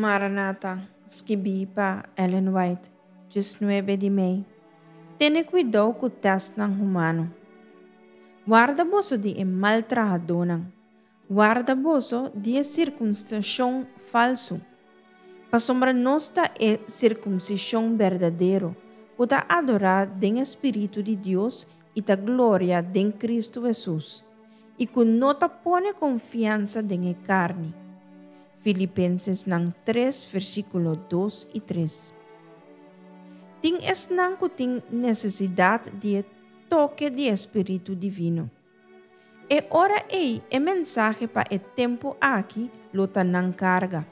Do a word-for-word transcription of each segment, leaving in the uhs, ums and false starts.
Maranata, skibí pa Ellen White, diesnuebe di mei. Tene kuidou ku tèstnan humano. Warda boso di e mal trahadónan. Warda boso di e sirkumsishon falsu. Pasobra nos ta e sirkumsishon berdadero, ku ta adorá den e Spiritu di Dios i ta gloria den Kristu Hesus, i ku no ta pone konfiansa den e karni. Filipensenan tres, versíkulo dos i tres. Tin esnan ku tin nesesidat di e toke di e Spiritu Divino. E ora ei e mensahe pa e tempu aki lo ta nan karga.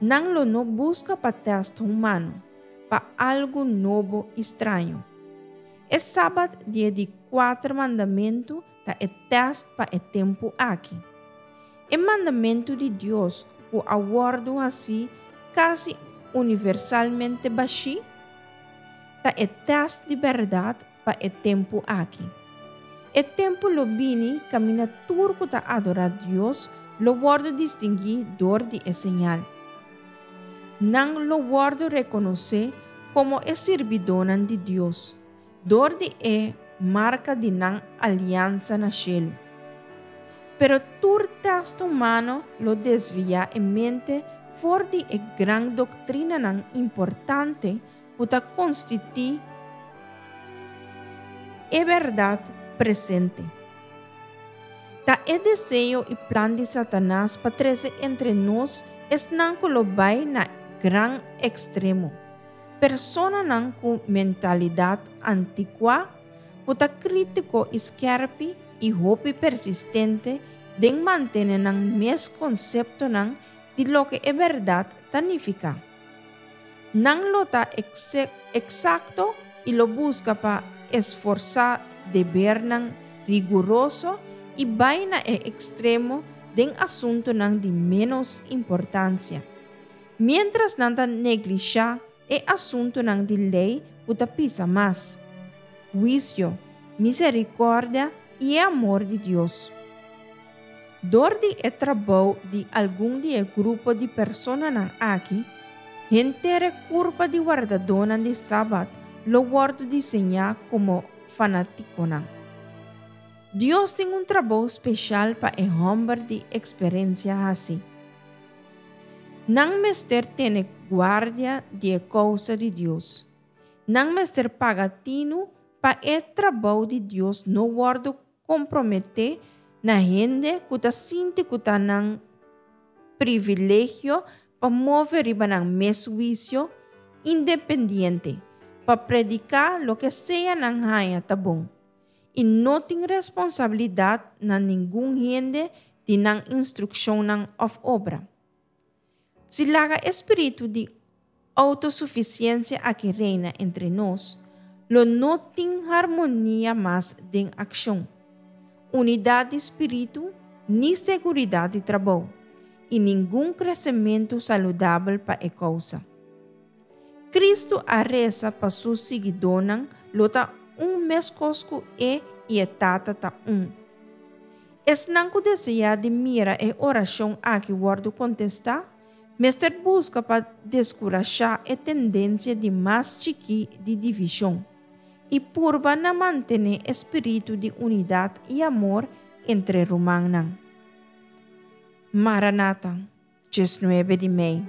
Nan lo no buska pa tèst humano, pa algu nobo i straño. E sabat di e di kuater mandamentu ta e tèst pa e tempu aki. E mandamentu di Dios ku a wòrdu hasí kasi universalmente bashí, ta e tèst di bèrdat pa e tempu aki. E tempu lo bini kaminda tur ku ta adorá Dios lo wòrdu distinguí dor di e señal. Nan lo wòrdu rekonosé komo e sirbidónan di Dios, dor di e marka di nan aliansa na shelu. Pero tur tèst humano lo desviá e mente for di e gran doktrinanan importante ku ta konstituí e bèrdat presente. Ta e deseo i plan di Satanas pa trese entre nos esnan ku lo bai na gran ekstremo. Personanan ku mentalidat antikuá, ku ta krítiko i skèrpi i hopi persistente den mantené nan mes konseptonan di loke e bèrdat ta nifiká. Nan lo ta eksakto i lo buska pa esforsá debernan riguroso i bai na e ekstremo den asuntunan di ménos importansia. Miéntras nan ta neglishá e asuntunan di lei ku ta pisa mas, huisio, miserikòrdia i e amor di Dios. Dor di e trabou di algun di e grupo di personanan aki, henter e kurpa di wardadónan di sabat lo wòrdu diseñá komo fanátikonan. Dios tin un trabou spesial pa e hòmber di eksperensia hasi. Nan mester tene guardia di e kousa di Dios. Nan mester paga tinu pa e trabou di Dios no wòrdu komprometé na hende ku ta sinti ku ta nan privilegio pa move riba nan mes huisio independiente, pa prediká loke sea nan haña ta bon, i no tin responsabilidat na ningun hende di nan instrukshonnan òf obra. Si laga e spiritu di outosufisiensia aki reina entre nos, lo no tin harmonia mas den akshon, unidat di spiritu ni seguridat di trabou, i ningun kresementu saludabel pa e kousa. Kristu a resa pa su siguidónan lo ta un meskos ku e i e Tata ta un. Esnan ku deseá di mira e orashon aki wòrdu kontestá, mester buska pa deskurashá e tendensia di mas chikí di divishon i purba na mantené e spiritu di unidat i amor entre rumannan. Maranata, diesnuebe di mei.